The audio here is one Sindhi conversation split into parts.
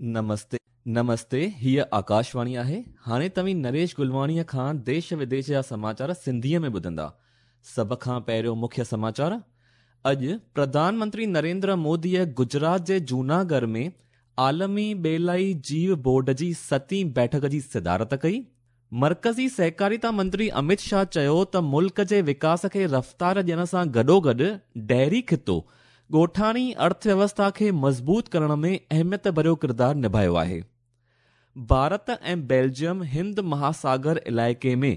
نمستي نمستي هيء آڪاشواڻي آهي. هاڻي توهين نريش گلواڻيء کان ديش وديش جا سماچار سنڌيء ۾ ٻڌندا. سڀ کان پهريون مکيه سماچار، اڄ پرڌان منتري نريندر موديء گجرات جي جوناڳڙهه ۾ عالمي ٻيلائي جيو بورڊ جي ستين بيٺڪ جي صدارت ڪئي. مرڪزي سهڪاريتا منتري امت شاهه چيو ته ملڪ جي وڪاس کي رفتار ڏيڻ سان گڏوگڏ ڊيري خطو ڳوٺاڻي ارٿويوسٿا کي مضبوط ڪرڻ ۾ اهميت ڀريو ڪردار نڀايو آهي. ڀارت ۽ بيلجيم هند مهاساگر علائقي ۾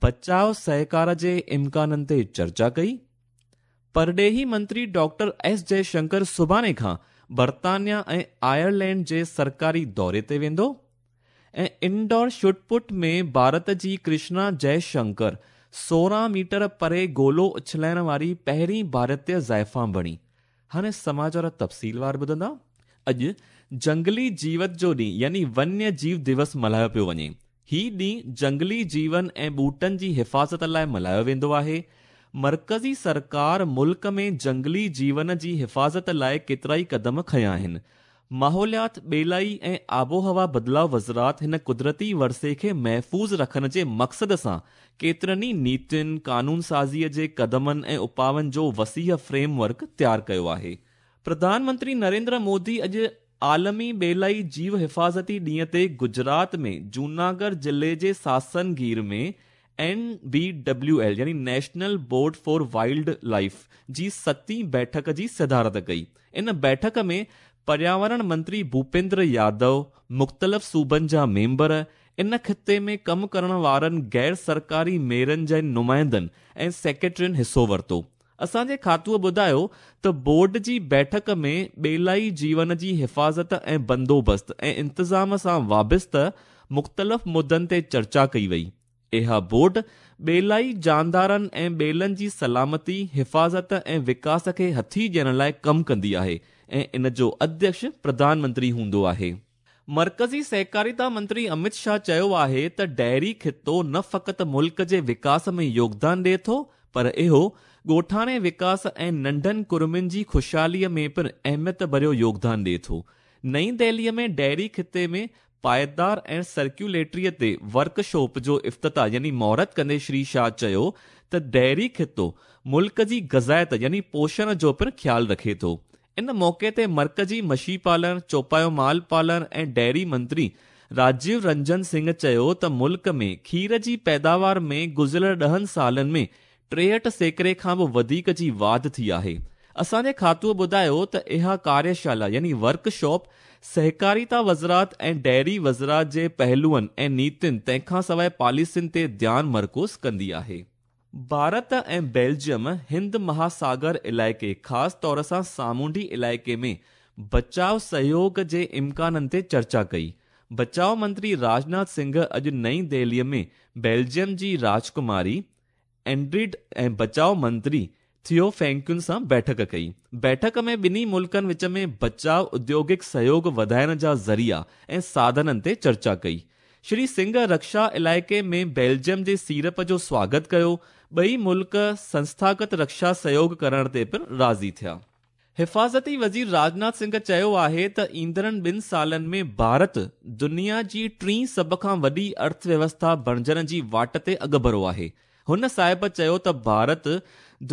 بچاء سهڪار جي امڪانن تي چرچا ڪئي. پرڏيهي منتري ڊاڪٽر ايس جئشنڪر سڀاڻي کان برطانيا ۽ آئرلينڊ جي سرڪاري دوري تي ويندو ۽ انڊور شاٽ پٽ ۾ ڀارت جي ڪرشنا جئشنڪر 16 ميٽر پري گولو اڇلائڻ واري پهرين ڀارتيه زائفان بڻي. هاڻي سماچار تفصيلوار ٻڌندا. اڄ جنگلي جيوت جو ڏينهن يعني ونيه جيو دوس ملهايو پيو وڃي. هي ڏينهن جنگلي جيون ۽ ٻوٽن جي حفاظت لاء ملهايو ويندو آهي. مرڪزي سرڪار ملڪ ۾ جنگلي جيون جي حفاظت لاء ڪيترائي قدم کنيا آهن. ماحوليات، ٻيلائي ۽ آبهوا بدلاء وزارت هن قدرتي ورثي کي محفوظ رکڻ جي مقصد سان ڪيترن ئي نيتين، قانون سازيء جي قدمن ۽ اپائن جو وسيع فريم ورڪ تيار ڪيو آهي. پرڌان منتري نريندر مودي اڄ عالمي ٻيلائي جيو حفاظتي ڏينهن تي گجرات ۾ جوناڳڙهه ضلعي جي ساسن گير ۾ اين بي ڊبليو ايل يعني national board for wild life جي ستين بيٺڪ جي صدارت ڪئي. ان بيٺڪ ۾ پرياورڻ منتري ڀوپيندر يادو، مختلف صوبن جا ميمبر، ان خطي ۾ ڪم ڪرڻ وارن غير سرڪاري ميرن جي نمائندن ۽ سيڪريٽرين حصو ورتو. اسان جي کاتوءَ ٻڌايو ته بورڊ جي بيٺڪ ۾ ٻيلائي جيون جي حفاظت ۽ بندوبست ۽ انتظام سان وابسته مختلف مدعن تي چرچا ڪئي وئي. اها بورڊ ٻيلائي جاندارن ۽ ٻيلن جي سلامتي، حفاظت ۽ وڪاس کي هٿي ڏيڻ لاءِ ڪم ڪندي آهي ۽ ان جو اڌيڪش پرڌان منتري هوندو آهي. مرڪزي سهڪاريتا منتري امت شاهه چيو آهي ته ڊيري خطو نه فقط ملڪ جي وڪاس ۾ يوگدان ڏئي ٿو پر اهو ڳوٺاڻي وڪاس ۽ ننڍن ڪڙمين جي خوشحاليءَ ۾ پڻ اهميت ڀريو يوگدان ڏئي ٿو. نئين دهليءَ ۾ ڊيري خطي ۾ پائيدار ۽ سرڪيولرٽيءَ تي ورڪشاپ جو افتتاح يعني مهورت ڪندي شري شاهه چيو ته ڊيري خطو ملڪ جي غذائيت يعني پوشڻ جو پڻ خيال رکي ٿو. ان موقعي تي مرڪزي مڇي پالڻ، چوپايو مال پالڻ ۽ ڊيري منتري راجيو رنجن سنگهه چيو ته ملڪ ۾ کير جي پيداوار ۾ گذريل 10 سالن ۾ 63% کان به وڌيڪ جي واڌ ٿي آهي. اسان جي کاتوءَ ٻڌايو ته اها ڪاريشالا يعني ورڪشاپ سهڪاريتا وزارت ۽ ڊيري وزارت جي پهلوئن ۽ نيتين تنهن کان سواءِ پاليسين تي ڌيان مرڪوز ڪندي آهي. ڀارت ۽ بيلجيم هند مهاساگر علائقي خاص طور سان سامونڊي علائقي ۾ بچاء سهيوڳ جي امڪانن تي چرچا ڪئي. بچاء منتري راجناٿ سنگهه اڄ نئين دهليءَ ۾ بيلجيم جي راجڪماري اينڊريڊ ۽ بچاء منتري ٿيو فينڪين سان بيٺڪ ڪئي. بيٺڪ ۾ ٻنهي ملڪن وچ ۾ بچاء اديوگڪ سهيوڳ وڌائڻ جا ذريعا ۽ ساڌنن تي چرچا ڪئي. شري سنگهه رڪشا علائقي ۾ بيلجيم جي سيڙپ جو سواگت ڪيو. ٻئي ملڪ سنسٿاگت رڪشا سهيوڳ ڪرڻ تي پڻ راضي ٿيا. حفاظتي وزير راجناٿ سنگهه چيو آهي ته ايندڙن 2 سالن ۾ ڀارت دنيا جي ٽين سڀ کان وڏي ارٿويوسٿا بڻجڻ جي واٽ تي اڳڀرو آهي. هن صاحب چيو ته ڀارت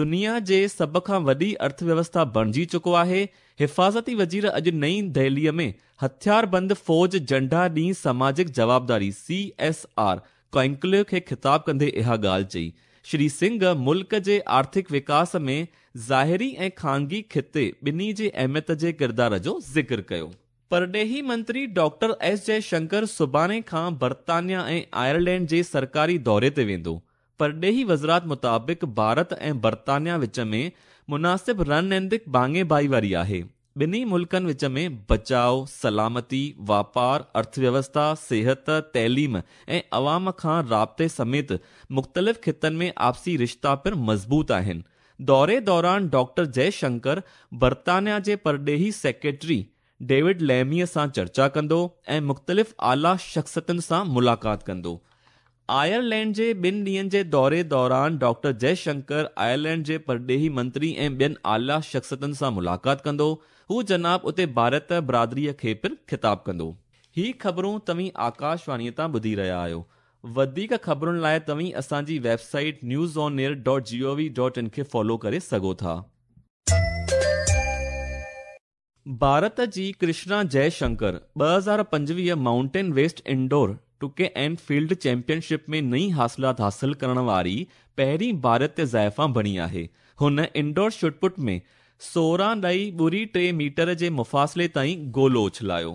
دنيا جي سڀ کان وڏي ارٿويوسٿا بڻجي چڪو آهي. حفاظتي وزير اڄ نئين دهليءَ ۾ هٿياربند فوج جهنڊا ڏينهن سماجڪ جوابداري سي ايس آر ڪانڪليو کي خطاب ڪندي اها ڳالهه چئي. شري سنگهه ملڪ جي آرٿڪ وڪاس ۾ ظاهري ۽ خانگي خطي ٻنهي جي اهميت جي ڪردار جو ذڪر ڪيو. پرڏيهي منتري ڊاڪٽر ايس جئشنڪر سڀاڻي کان برطانيا ۽ آئرلينڊ جي سرڪاري دوري تي ويندو. پرڏيهي وزارت مطابق ڀارت ۽ برطانيا وچ ۾ مناسب رڻنيتڪ ڀاڱي ڀائيواري آهي. ٻنهي ملڪن وچ ۾ بچاء، سلامتي، واپار، ارٿويوسٿا، صحت، تعليم ۽ عوام کان رابطي سميت مختلف خطن ۾ آپسي رشتا پڻ مضبوط آهن. دوري دوران ڊاڪٽر جئشنڪر برطانيا جي پرڏيهي سيڪريٽري ڊيوڊ ليميءَ سان چرچا ڪندو ۽ مختلف اعليٰ شخصيتن سان ملاقات ڪندو. آئرلينڊ جي ٻن ڏينهن جي دوري دوران ڊاڪٽر جئه شنڪر آئرلينڊ جي پرڏيهي منتري ۽ ٻين اعليٰ شخصيتن سان ملاقات ڪندو. هو جناب اتي ڀارت برادريء کي پڻ خطاب ڪندو. هي خبرون توهين آڪاشواڻيء تان ٻڌي رهيا آهيو. وڌيڪ خبرن لاء توهين اسان جي website news on air dot G O V dot in کي فالو ڪري سگهو ٿا. ڀارت جي ڪرشنا جئه Shankar 2025 mountain west indoor track and field championship ۾ نئين حاصلات حاصل ڪرڻ واري پهرين ڀارتي زائفان بڻي آهي. هن انڊور شاٽ پٽ ۾ 16.03 ميٽر جي مفاصلي تائين گولو اڇلايو.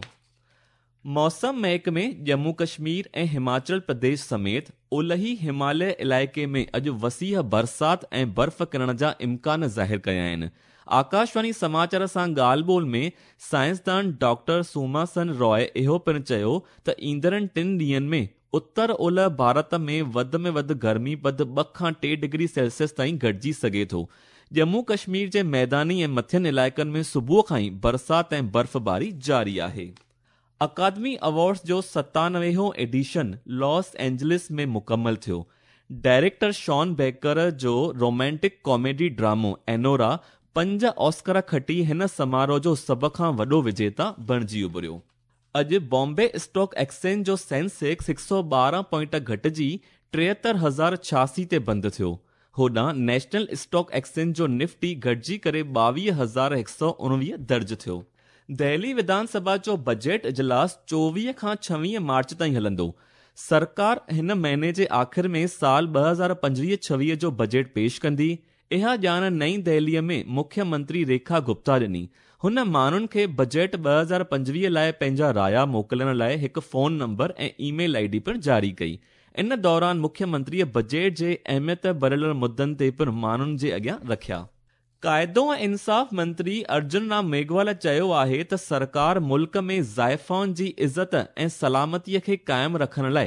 موسم محڪمي ڄمون ڪشمير ۽ هماچل پرديش سميت اولهي هماليه علائقي ۾ اڄ وسيع برسات ۽ برف ڪرڻ جا امڪان ظاهر ڪيا آهن. آڪاشواڻي سماچار سان ڳالهه ٻولهه ۾ سائنسدان ڊاڪٽر سوماسن راء اهو پڻ چيو ته ايندڙن ٽن ڏينهن ۾ اتر اولهه ڀارت ۾ وڌ ۾ وڌ گرمي پد 2 کان 3 ڊگري سيلسيس تائين گهٽجي سگهي ٿو. ڄمون ڪشمير جي ميداني ۽ مٿين علائقن ۾ صبح کان ئي برسات ۽ برفباري جاري آهي. اڪادمي ايوارڊز جو 97 هون ايڊيشن لاس اينجلس ۾ مڪمل ٿيو. ڊائريڪٽر شان بيڪر جو رومانٽڪ ڪاميڊي ڊرامو اينورا 5 آسڪر کٽي هن سماروهه جو سڀ کان وڏو وجيتا بڻجي اڀريو. اڄ بامبي اسٽاڪ ايڪسچينج جو سينسيڪس 112 پوائنٽ گهٽجي 73086 تي بند ٿيو. هوڏانهن نيشنل اسٽاڪ ايڪسچينج جو نفٽي گهٽجي ڪري 22119 درج ٿيو. دهلي وڌان سڀا جو بجيٽ اجلاس 24 کان 26 مارچ تائين هلندو. سرڪار هن مهيني جي آخر ۾ سال 2025-26 جو بجيٽ پيش ڪندي. اها ڄاڻ نئين دهليء ۾ مکيه منتري ريکا گپتا ڏني. هن ماڻهن کي بجيٽ 2025 لاء پنهنجا رايا موڪلڻ لاء هڪ phone number ۽ email I D پڻ جاري ڪئي. ان دوران مکيه منتريء بجيٽ جي اهميت ڀريل مدن تي پڻ ماڻهن جي اڳيان رکيا. قاعدو ۽ انصاف منتري ارجن رام ميگهوال چيو آهي ته سرڪار ملڪ ۾ زائفائن جي عزت ۽ سلامتي کي قائم رکڻ لاء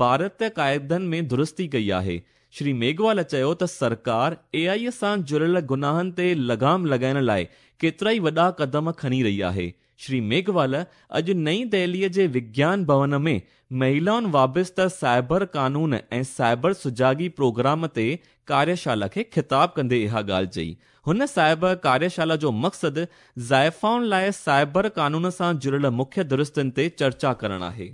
ڀارتي قاعدن ۾ درستي ڪئي آهي. شري ميگهوال چيو ته سرڪار اي آء سان جڙيل گناهن تي لغام لڳائڻ لاء ڪيترائي وڏا قدم کڻي رهي آهي. شري ميگهوال اڄ نئين دهليء جي وگيان ڀون ۾ مهلائن وابسته سائبر قانون ۽ سائبر سجاڳي پروگرام تي ڪاريشالا کي خطاب ڪندي اها ڳالهه چئي. هن سائبر ڪاريشالا جو مقصد زائفائن لاء سائبر قانون سان جڙيل مکيه درستين تي چرچا ڪرڻ آهي.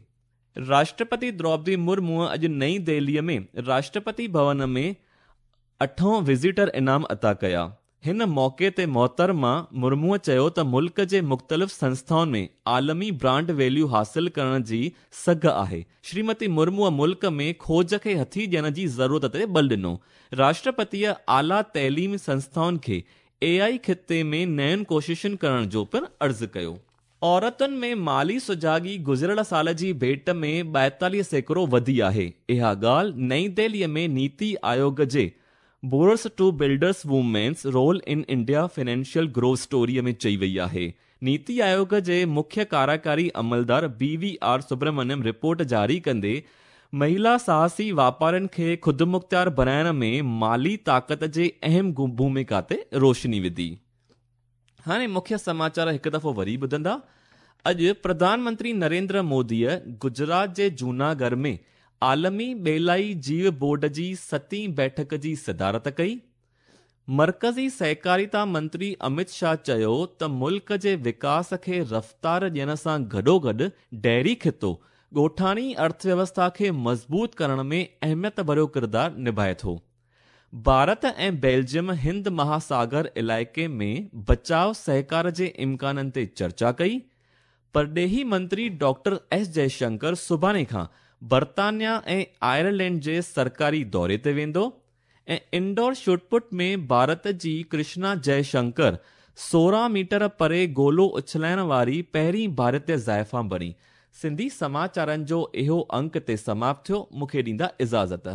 راشٽرپتي دروپدي مرموء اڄ نئين دهليء ۾ راشٽرپتي ڀون ۾ اٺون وزيٽر انعام عطا ڪيا. هن موقعي تي محترمه مرموء چيو ته ملڪ جي مختلف سنسٿائن ۾ عالمي برانڊ ويليو حاصل ڪرڻ جي سگهه آهي. شريمتي مرموء ملڪ ۾ کوج کي هٿي ڏيڻ جي ضرورت تي بل ڏنو. راشٽرپتيء اعليٰ تعليمي سنسٿائن کي اي آء خطي ۾ نين ڪوششن ڪرڻ جو پڻ عرض ڪيو. عورتن ۾ مالي سجاڳي گذريل سال جي ڀيٽ ۾ 42% وڌي آهي. اها ڳالهه نئين دهليء ۾ نيتي آيوگ جي borrowers to builders women's role in India financial growth story ۾ چئي وئي آهي. نيتي آيوگ جي مکيه ڪاريڪاري عملدار B V R Subrahmanyam report جاري ڪندي مهلا ساهسي واپارين کي خودمختيار بڻائڻ ۾ مالي طاقت جي اهم ڀوميڪا تي روشني وڌي. هاڻي مکيه سماچار هڪ دفعو وري ٻڌندا. اڄ پرڌان منتري نريندر موديء گجرات جي جوناڳڙهه ۾ عالمي ٻيلائي جيو بورڊ جي ستين بيٺڪ جي صدارت ڪئي. مرڪزي سهڪاريتا منتري امت شاهه چيو ته ملڪ جي وڪاس کي رفتار ڏيڻ سان گڏوگڏ ڊيري خطو ڳوٺاڻي ارٿويوسٿا کي مضبوط ڪرڻ ۾ اهميت ڀريو ڪردار نڀائي ٿو. ڀارت ۽ بيلجيم هند مهاساگر علائقي ۾ بچاء سهڪار جي امڪانن تي چرچا ڪئي. پرڏيهي منتري ڊاڪٽر ايس جئشنڪر سڀاڻي کان برطانيا ۽ آئرلينڊ جي سرڪاري دوري تي ويندو ۽ انڊور شاٽ پٽ ۾ ڀارت جي ڪرشنا جئشنڪر 16 ميٽر پري گولو اڇلائڻ واري پهرين ڀارتي زائفان بڻي. سنڌي سماچارن جو اهو انڪ تي سماپت ٿيو. مون کي ڏيندا اجازت.